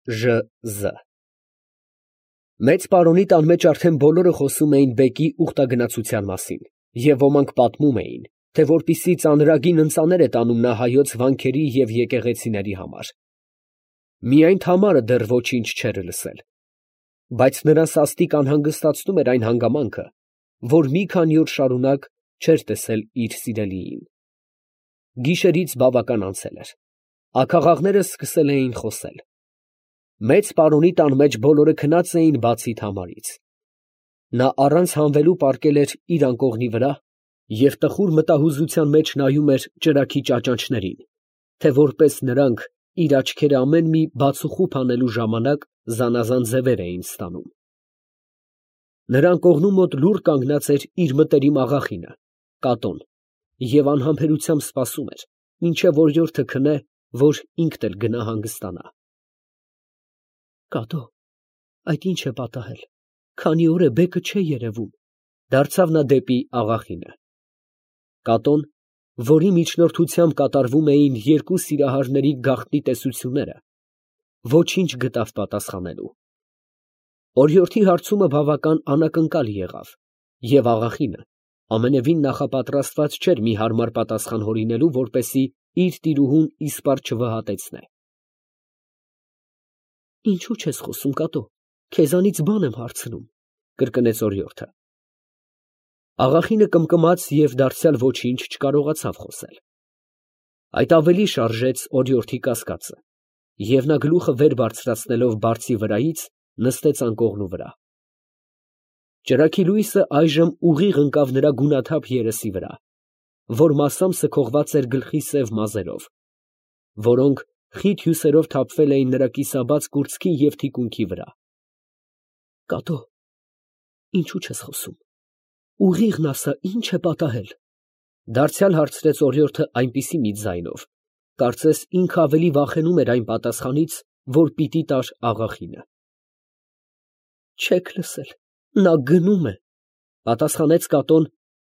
Ժ. Մեծ պարոնի տան մեջ արդեն բոլորը խոսում էին բեկի ուխտագնացության մասին, և ոմանք պատմում էին, թե որպիսի ծանրագին ընծաներ է տանում նա հայոց վանքերի և եկեղեցիների համար. միայն Թամարը դեռ ոչինչ չէր լսել, բայց նրան սաստիկ անհանգստացնում էր այն հանգամանքը, որ մի քանի օր շարունակ չէր տեսել իր սիրելիին։ Գիշերից բավական անցել էր, աքաղաղները սկսել էին խոսել։ Մեծ պարոնի տան մեջ բոլորը քնած էին բացի Թամարից։ Նա առանց հանվելու պառկել էր իր անկողնի վրա և տխուր մտահուզության մեջ նայում էր ճրագի ճաճանճներին, թե որպես նրանք իր աչքերը ամեն մի բացուխուփ անելու ժամանակ զանազան ձևեր էին ստանում։ Նրա անկողնու մոտ լուռ կանգնած էր իր մտերիմ աղախինը, Կատոն, և անհամբերությամբ սպասում էր, մինչև օրիորդը քնե, որ ինքն էլ գնա հանգստանա։ Կատո, այդ ի՞նչ է պատահել, քանի օր է բեկը չէ երևում, դարձավ նա դեպի աղախինը։ Կատոն, որի միջնորդությամբ կատարվում էին երկու սիրահարների գաղտնի տեսությունները, ոչինչ գտավ պատասխանելու։ Օրիորդի հարցումը բավական անակնկալ եղավ, և աղախինը ամենևին նախապատրաստված չէր մի հարմար պատասխան հորինելու, որպեսզի իր տիրուհուն իսպառ չվհատեցնե։ Ինչո՞ւ չես խոսում, Կատո, քեզանից բան եմ հարցնում, կրկնեց օրիորդը։ Աղախինը կմկմաց և դարձյալ ոչինչ չկարողացավ խոսել։ Այդ ավելի շարժեց օրիորդի կասկածը, և նա գլուխը վեր բարձրացնելով բարձի վրայից, նստեց անկողնու վրա։ Ճրագի լույսը այժմ ուղիղ ընկավ նրա գունաթափ երեսի վրա, որ մասամբ սքողված էր գլխի սև մազերով, որոնք խիտ հյուսերով թափվել էին նրա կիսաբաց կուրծքի և թիկունքի վրա։ Կատո, ինչո՞ւ չես խոսում, ուղիղն ասա, ի՞նչ է պատահել, դարձյալ հարցրեց օրիորդը այնպիսի մի ձայնով, կարծես ինքը ավելի վախենում էր այն պատասխանից, որ պիտի տար աղախինը։ Չեք լսել, նա գնում է, պատասխանեց Կատոն,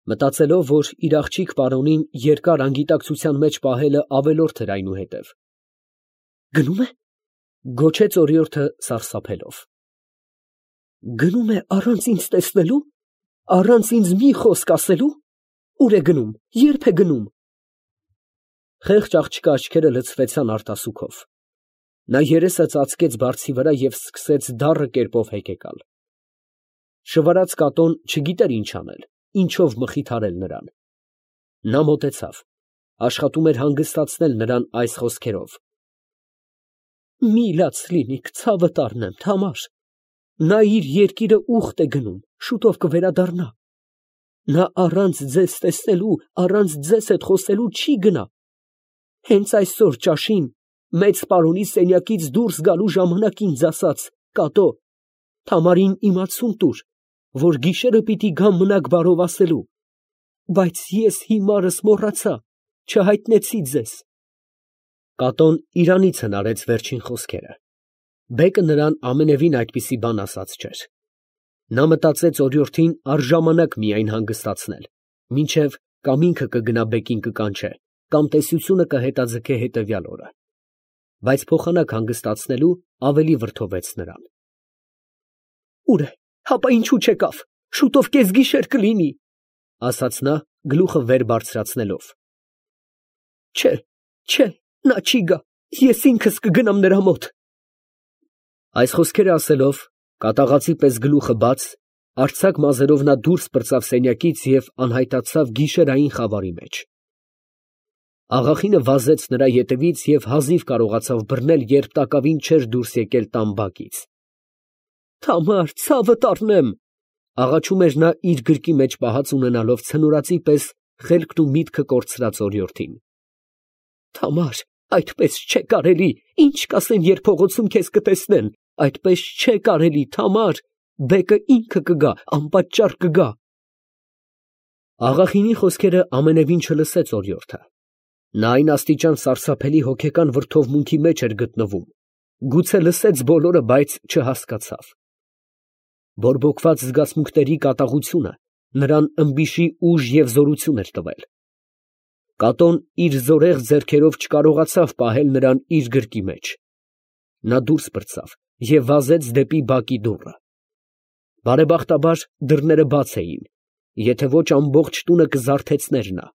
մտածելով, որ իր աղջիկ պարոնին երկար անգիտակցության մեջ պահելը ավելորդ էր այնուհետև։ Գնում է, գոչեց օրիորդը սարսափելով։ Գնում է առանց ինձ տեսնելու, առանց ինձ մի խոսք ասելու, ուր է գնում, ե՞րբ է գնում։ Խեղճ աղջկա աչքերը լցվեցան արտասուքով։ Նա երեսը ծածկեց բարձի վրա և սկսեց դառը կերպով հեկեկալ։ Շվարած Կատոն չգիտեր ինչ անել, ինչով մխիթարել նրան։ Նա մոտեցավ, աշխատում էր հանգստացնել նրան այս խոսքերով. Մի լաց լինիք, ցավդ առնեմ, Թամար, նա իր երկիրը ուխտ է գնում, շուտով կվերադառնա։ Նա առանց ձեզ տեսնելու, առանց ձեզ հետ խոսելու չի գնա։ Հենց այսօր ճաշին մեծ պարոնի սենյակից դուրս գալու ժամանակ ինձ ասաց. Կատո, Թամարին իմացում տուր, որ գիշերը պիտի գամ մնաք բարով ասելու, բայց ես հիմարս մոռացա, չհայտնեցի ձեզ։ Կատոն իրանից հնարեց վերջին խոսքերը։ Բեկը նրան ամենևին այդպիսի բան ասած չէր։ Նա մտածեց օրիորդին առժամանակ միայն հանգստացնել, մինչև կամ ինքը կգնա բեկին կկանչե, կամ տեսությունը կհետաձգե հետևյալ օրը, բայց փոխանակ հանգստացնելու ավելի վրդովեց նրան։ Ուր է, հապա ինչու չեկավ, շուտով կեսգիշեր կլինի, ասաց նա գլուխը վեր բարձրացնելով։ Չէ, նա չի գա, ես ինքս կգնամ նրա մոտ։ Այս խոսքերը ասելով, կատաղածի պես գլուխը բաց, արձակ մազերով նա դուրս պրծավ սենյակից և անհայտացավ գիշերային խավարի մեջ։ Աղախինը վազեց նրա ետևից և հազիվ կարողացավ բռնել, երբ տակավին չէր դուրս եկել տան բակից։ Թամար, ցավդ առնեմ, աղաչում էր նա իր գրկի մեջ պահած ունենալով ցնորածի պես խելքն ու միտքը կորցրած օրիորդին։ Թամար, այդպես չէ կարելի, ինչ կասեն, երբ փողոցում քեզ կտեսնեն, այդպես չէ կարելի, Թամար, բեկը ինքը կգա, անպատճառ կգա։ Աղախինի խոսքերը ամենևին չլսեց օրիորդը։ Նա այն աստիճան սարսափելի հոգեկան վրդովմունքի մեջ էր գտնվում, գուցե լսեց բոլորը, բայց չհասկացավ։ Բորբոքված զգացմունքների կատաղությունը նրան ըմբիշի ուժ և զորություն էր տվել։ Կատոն իր զորեղ ձեռքերով չկարողացավ պահել նրան իր գրկի մեջ։ Նա դուրս պրծավ և վազեց դեպի բակի դուռը։ Բարեբախտաբար դռները բաց էին, եթե ոչ ամբողջ տունը կզարթեցներ նա։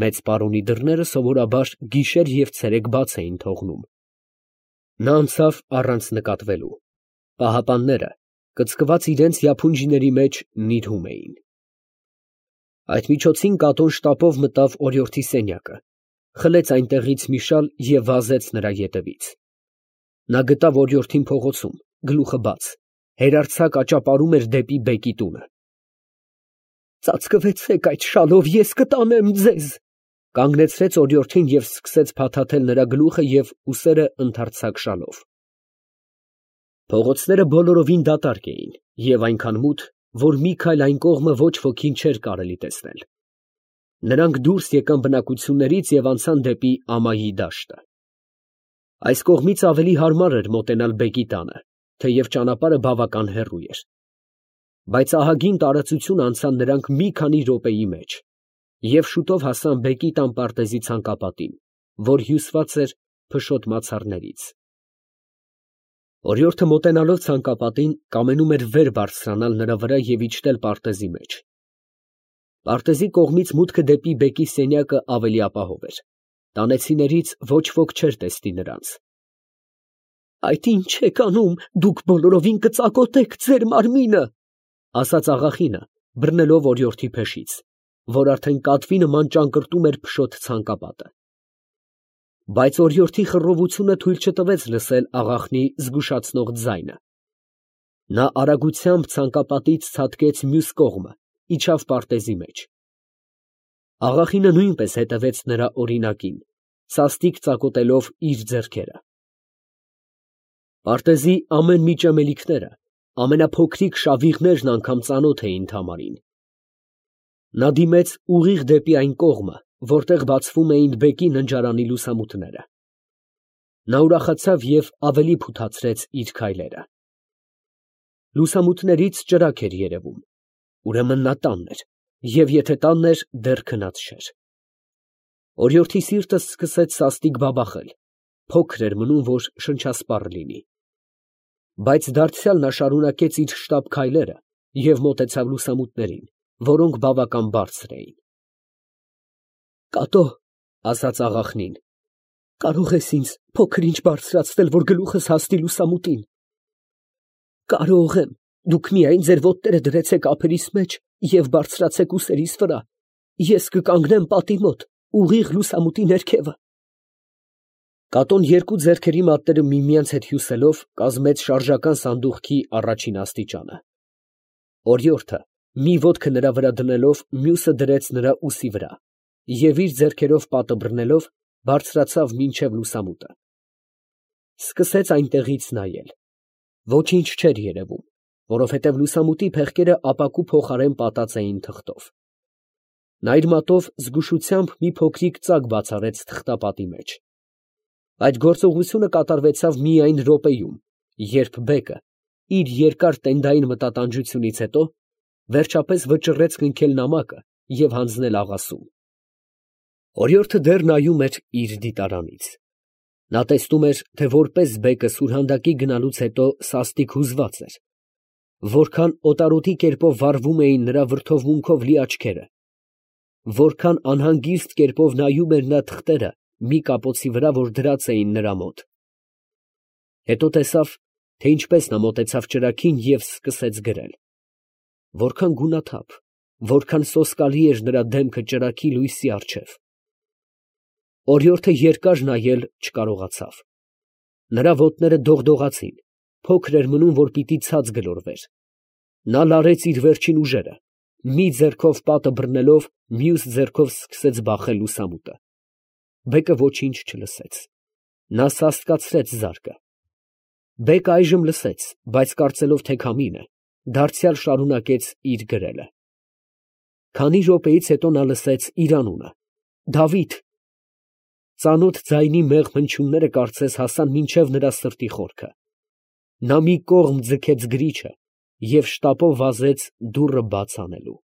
Մեծ պարոնի դռները սովորաբար գիշեր և ցերեկ բաց էին թողնում։ Նա անցավ առանց նկատվելու։ Պահապանները, կծկված իրենց յափունջիների մեջ, նիրհում էին։ Այդ միջոցին Կատոն շտապով մտավ օրիորդի սենյակը, խլեց այնտեղից մի շալ և վազեց նրա ետևից։ Նա գտավ օրիորդին փողոցում, գլուխը բաց, հերարձակ աճապարում էր դեպի բեկի տունը։ «Ծածկվեցեք այդ շալով, ես կտանեմ ձեզ», կանգնեցրեց օրիորդին և սկսեց փաթաթել նրա գլուխը և ուսերը ընդարձակ շալով։ Փողոցները բոլորովին դատարկ էին և այնքան մութ, որ մի քայլ այն կողմը ոչ ոքին չէր կարելի տեսնել։ Նրանք դուրս եկան բնակություններից և անցան դեպի ամայի դաշտը։ Այս կողմից ավելի հարմար էր մոտենալ բեկի տանը, թեև ճանապարհը բավական հեռու էր։ Բայց ահագին տարածություն անցան նրանք մի քանի րոպեի մեջ և շուտով հասան բեկի տան պարտեզի ցանկապատին, որ հյուսված էր փշոտ մացառներից։ Օրիորդը մոտենալով ցանկապատին, կամենում էր վեր բարձրանալ նրա վրա և իջնել պարտեզի մեջ։ Պարտեզի կողմից մուտքը դեպի բեկի սենյակը ավելի ապահով էր։ Տանեցիներից ոչ ոք չէր տեսնի նրանց։ «Այդ ի՞նչ եք անում, դուք բոլորովին կծակոտեք ձեր մարմինը», ասաց աղախինը, բռնելով օրիորդի փեշից, որ արդեն կատվի նման ճանկռտում էր փշոտ ցանկապատը։ Բայց օրիորդի խռովությունը թույլ չտվեց լսել աղախնի զգուշացնող ձայնը։ Նա արագությամբ ցանկապատից ցատկեց մյուս կողմը, իջավ պարտեզի մեջ։ Աղախինը նույնպես հետևեց նրա օրինակին, սաստիկ ծակոտելով իր ձեռքերը։ Պարտեզի ամեն մի ճեմելիքները, ամենափոքրիկ շավիղներն անգամ ծանոթ էին Թամարին։ Նա դիմեց ուղիղ դեպի այն կողմը, որտեղ բացվում էին բեկի ննջարանի լուսամուտները։ Նա ուրախացավ և ավելի փութացրեց իր քայլերը։ Լուսամուտներից ճրագ էր երևում։ Ուրեմն նա տանն էր, և եթե տանն էր, դեռ քնած չէր։ Օրիորդի սիրտը սկսեց սաստիկ բաբախել, փոքր էր մնում, որ շնչասպառ լինի։ Բայց դարձյալ նա շարունակեց իր շտապ քայլերը և մոտեցավ լուսամուտներին, որոնք բավական բարձր էին։ «Կատո», ասաց աղախնին, «կարող ես ինձ փոքր֊ինչ բարձրացնել, որ գլուխս հասնի լուսամուտին»։ «Կարող եմ, դուք միայն ձեր ոտները դրեցեք ափերիս մեջ և բարձրացեք ուսերիս վրա, ես կկանգնեմ պատի մոտ, ուղիղ լուսամուտի ներքևը»։ Կատոն երկու ձեռքերի մատները միմյանց հետ հյուսելով կազմեց շարժական սանդուղքի առաջին աստիճանը։ Օրիորդը, մի ոտքը նրա վրա դնելով, մյուսը դրեց նրա ուսի վրա և իր ձեռքերով պատը բռնելով, բարձրացավ մինչև լուսամուտը։ Սկսեց այնտեղից նայել։ Ոչինչ չէր երևում, որովհետև լուսամուտի փեղկերը ապակու փոխարեն պատած էին թղթով։ Նա իր մատով զգուշությամբ մի փոքրիկ ծակ բացառեց թղթապատի մեջ։ Այդ գործողությունը կատարվեցավ միայն րոպեում, երբ բեկը, իր երկար տենդային մտատանջությունից հետո, վերջապես վճռեց կնքել նամակը և հանձնել աղասուն։ Օրիորդը դեռ նայում էր իր դիտարանից։ Նա տեսնում էր, թե որպես բեկը սուրհանդակի գնալուց հետո սաստիկ հուզված էր, որքան օտարոտի կերպով վառվում էին նրա վրդովմունքով լի աչքերը, որքան անհանգիստ կերպով նայում էր նա թղթերը մի կապոցի վրա, որ դրած էին նրա մոտ։ Հետո տեսավ, թե ինչպես նա մոտեցավ ճրագին և սկսեց գրել։ Որքան գունաթափ, որքան սոսկալի էր նրա դեմքը ճրագի լույսի առջև։ Օրիորդը երկար նայել չկարողացավ։ Նրա ոտները դողդողացին, փոքր էր մնում, որ պիտի ցած գլորվեր։ Նա լարեց իր վերջին ուժերը, մի ձեռքով պատը բռնելով, մյուս ձեռքով սկսեց բախել լուսամուտը։ Բեկը ոչինչ չլսեց։ Նա սաստկացրեց զարկը։ Բեկը այժմ լսեց, բայց կարծելով, թե քամին է, դարձյալ շարունակեց իր գրելը։ Քանի րոպեից հետո նա լսեց իր անունը՝ «Դավիթ»։ Ծանոթ ձայնի մեղմ հնչյունները կարծես հասան մինչև նրա սրտի խորքը։ Նա մի կողմ ձգեց գրիչը և շտապով վազեց դուռը բաց անելու։